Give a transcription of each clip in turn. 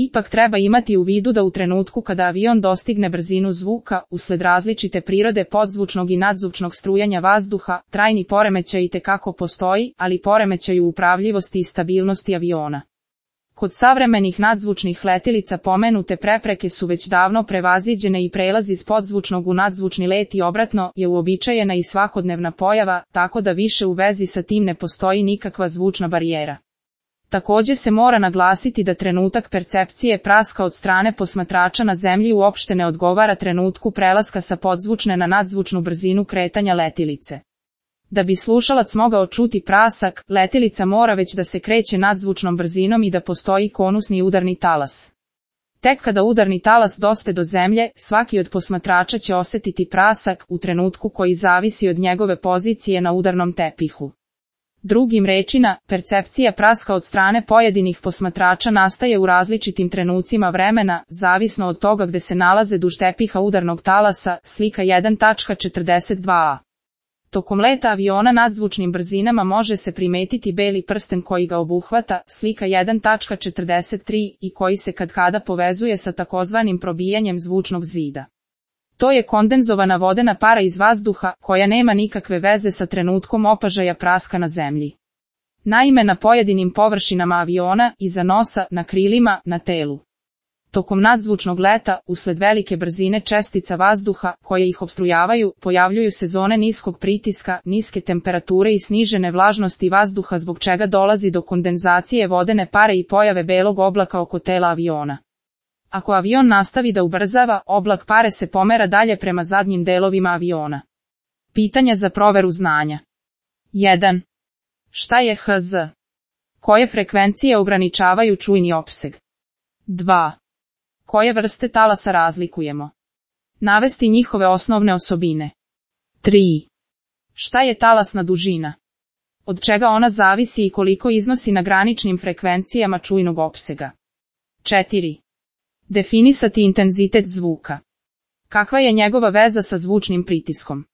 Ipak treba imati u vidu da u trenutku kada avion dostigne brzinu zvuka, usled različite prirode podzvučnog i nadzvučnog strujanja vazduha, trajni poremećaj itekako postoji, ali poremećaj u upravljivosti i stabilnosti aviona. Kod savremenih nadzvučnih letilica pomenute prepreke su već davno prevaziđene i prelaz iz podzvučnog u nadzvučni let i obratno je uobičajena i svakodnevna pojava, tako da više u vezi sa tim ne postoji nikakva zvučna barijera. Takođe se mora naglasiti da trenutak percepcije praska od strane posmatrača na zemlji uopšte ne odgovara trenutku prelaska sa podzvučne na nadzvučnu brzinu kretanja letilice. Da bi slušalac mogao čuti prasak, letilica mora već da se kreće nadzvučnom brzinom i da postoji konusni udarni talas. Tek kada udarni talas dospe do zemlje, svaki od posmatrača će osetiti prasak u trenutku koji zavisi od njegove pozicije na udarnom tepihu. Drugim rečima, percepcija praska od strane pojedinih posmatrača nastaje u različitim trenucima vremena, zavisno od toga gde se nalaze duž tepiha udarnog talasa, slika 1.42a. Tokom leta aviona nadzvučnim brzinama može se primetiti beli prsten koji ga obuhvata, slika 1.43 i koji se katkada povezuje sa takozvanim probijanjem zvučnog zida. To je kondenzovana vodena para iz vazduha, koja nema nikakve veze sa trenutkom opažaja praska na zemlji. Naime, na pojedinim površinama aviona, iza nosa, na krilima, na telu. Tokom nadzvučnog leta, usled velike brzine čestica vazduha, koje ih opstrujavaju, pojavljuju se zone niskog pritiska, niske temperature i snižene vlažnosti vazduha zbog čega dolazi do kondenzacije vodene pare i pojave belog oblaka oko tela aviona. Ako avion nastavi da ubrzava, oblak pare se pomera dalje prema zadnjim delovima aviona. Pitanja za proveru znanja. 1. Šta je HZ? Koje frekvencije ograničavaju čujni opseg? 2. Koje vrste talasa razlikujemo? Navesti njihove osnovne osobine. 3. Šta je talasna dužina? Od čega ona zavisi i koliko iznosi na graničnim frekvencijama čujnog opsega? 4. Definisati intenzitet zvuka. Kakva je njegova veza sa zvučnim pritiskom?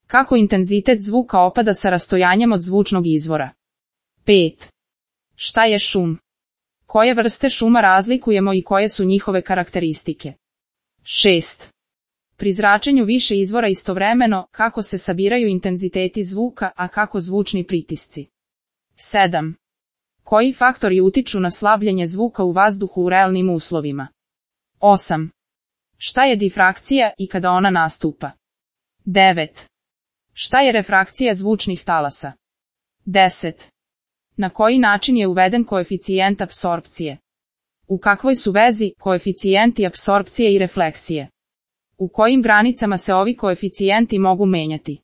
Kako intenzitet zvuka opada sa rastojanjem od zvučnog izvora? 5. Šta je šum? Koje vrste šuma razlikujemo i koje su njihove karakteristike? 6. Pri zračenju više izvora istovremeno, kako se sabiraju intenziteti zvuka, a kako zvučni pritisci? 7. Koji faktori utiču na slabljenje zvuka u vazduhu u realnim uslovima? 8. Šta je difrakcija i kada ona nastupa? 9. Šta je refrakcija zvučnih talasa? 10. Na koji način je uveden koeficijent apsorpcije? U kakvoj su vezi koeficijenti apsorpcije i refleksije? U kojim granicama se ovi koeficijenti mogu menjati?